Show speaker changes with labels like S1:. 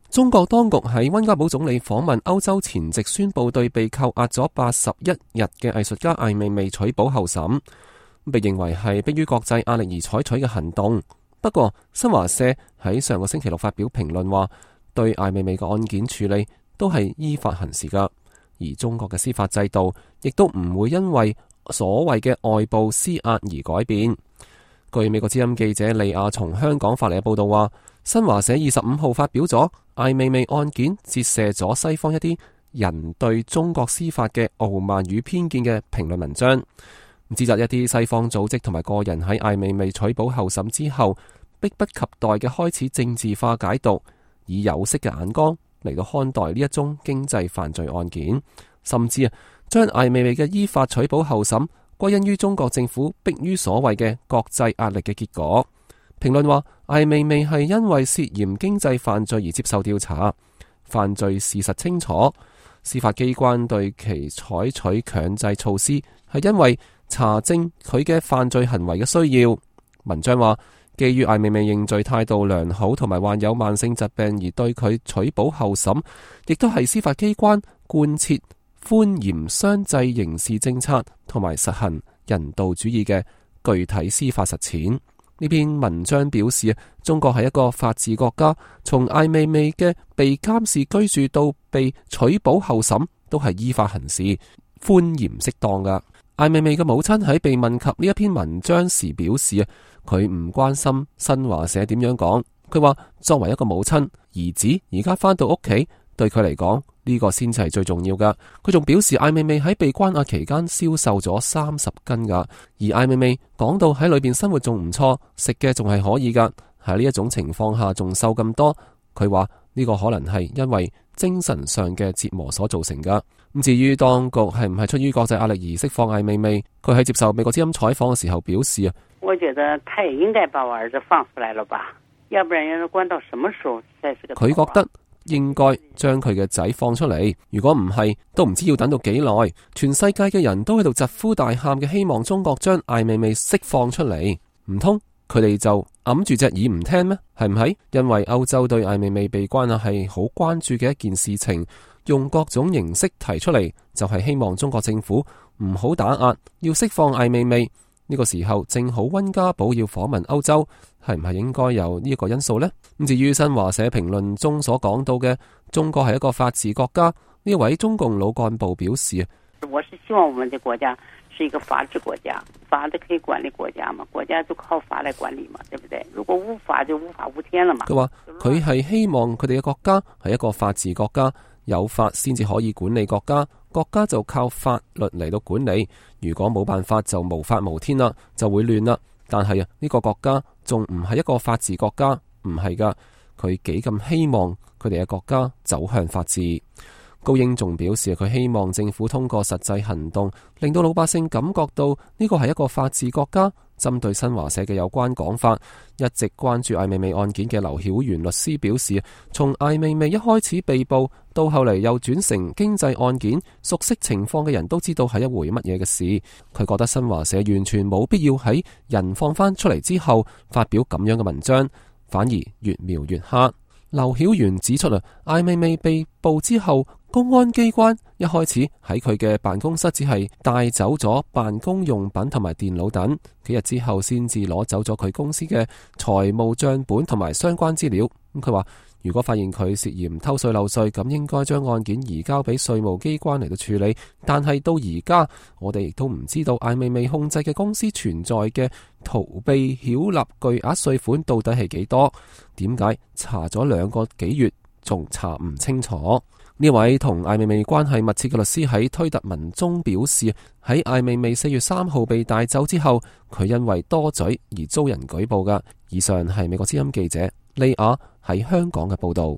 S1: 中國當局喺溫家寶總理訪問歐洲前夕宣布對被扣押咗81日嘅藝術家艾未未取保候審，被認為係迫於國際壓力而採取嘅行動。不過新華社喺上個星期六發表評論話，對艾未未嘅案件處理都係依法行事噶，而中國嘅司法制度亦都唔會因為所謂嘅外部施壓而改變。據美國之音記者利亞從香港發嚟嘅報道話，新華社25號發表咗艾未未案件折射咗西方一啲人對中國司法嘅傲慢與偏見嘅評論文章，指責一啲西方組織同埋個人喺艾未未取保候審之後，迫不及待嘅開始政治化解讀，以有色嘅眼光嚟到看待呢一宗經濟犯罪案件，甚至將艾未未嘅依法取保候審歸因於中國政府迫於所謂嘅國際壓力嘅結果。評論話，艾未未係因為涉嫌經濟犯罪而接受調查，犯罪事實清楚，司法機關對其採取強制措施係因為查證佢嘅犯罪行為嘅需要。文章話，基於艾未未認罪態度良好同埋患有慢性疾病而對佢取保候審，亦都係司法機關貫徹寬嚴相濟刑事政策同埋實行人道主義嘅具體司法實踐。呢篇文章表示，中國係一個法治國家，從艾未未嘅被監視居住到被取保候審都係依法行事，寬嚴適當噶。艾未未嘅母親喺被問及呢一篇文章時表示，佢唔關心新華社點樣講。佢話作為一個母親，兒子而家返到屋企，對佢嚟講呢個先至係最重要噶。佢仲表示，艾未未喺被關押期間消瘦咗30斤噶，而艾未未講到喺裏邊生活仲唔錯，食嘅仲係可以噶。喺呢一種情況下仲瘦咁多，佢話呢個可能係因為精神上嘅折磨所造成噶。咁至於當局係唔係出於國際壓力而釋放艾未未，佢喺接受美國之音採訪嘅時候表示，
S2: 我覺得他也應該把我兒子放出來了吧，要不然要關到什麼時候才是個。佢覺得
S1: 應該將佢嘅仔放出嚟，如果唔係，都唔知要等到幾耐。全世界嘅人都喺度疾呼大喊嘅，希望中國將艾未未釋放出嚟，唔通佢哋就揞住隻耳唔聽咩？係唔係？因為歐洲對艾未未被關押係好關注嘅一件事情，用各種形式提出嚟，就係希望中國政府唔好打壓，要釋放艾未未。呢個時候正好溫家寶要訪問歐洲，係唔係應該有呢一個因素呢？咁至於新華社評論中所講到嘅中國係一個法治國家，呢位中共老幹部表示，
S2: 我是希望我們的國家是一個法治國家，法的可以管理國家嘛，國家就靠法來管理嘛，對不對？如果無法就無法無天了嘛。佢話
S1: 佢係希望佢哋嘅國家係一個法治國家，有法先至可以管理國家，國家就靠法律嚟到管理。如果冇辦法就無法無天啦，就會亂啦。但係呢個國家仲唔係一個法治國家，唔係噶。佢幾咁希望佢哋嘅國家走向法治。高英仲表示，佢希望政府通過實際行動，令到老百姓感覺到呢個係一個法治國家。針對新華社嘅有關講法，一直關注艾未未案件嘅劉曉元律師表示，從艾未未一開始被捕到後嚟又轉成經濟案件，熟悉情況嘅人都知道係一回乜嘢嘅事。佢覺得新華社完全冇必要喺人放翻出嚟之後發表咁樣嘅文章，反而越描越黑。劉曉元指出艾未未被捕之後，公安機關一開始喺佢嘅辦公室只係帶走咗辦公用品同埋電腦等，幾日之後先至攞走咗佢公司嘅財務賬本同埋相關資料。佢話如果發現佢涉嫌偷稅漏稅，咁應該將案件移交俾稅務機關嚟到處理。但係到而家，我哋亦都唔知道艾未未控制嘅公司存在嘅逃避繳納巨額稅款到底係幾多？點解查咗2個幾月仲查唔清楚？呢位同艾未未關係密切嘅律師喺推特文中表示，喺艾未未4月3號被帶走之後，佢因為多嘴而遭人舉報㗎。以上係美國之音記者利亞喺香港嘅報道。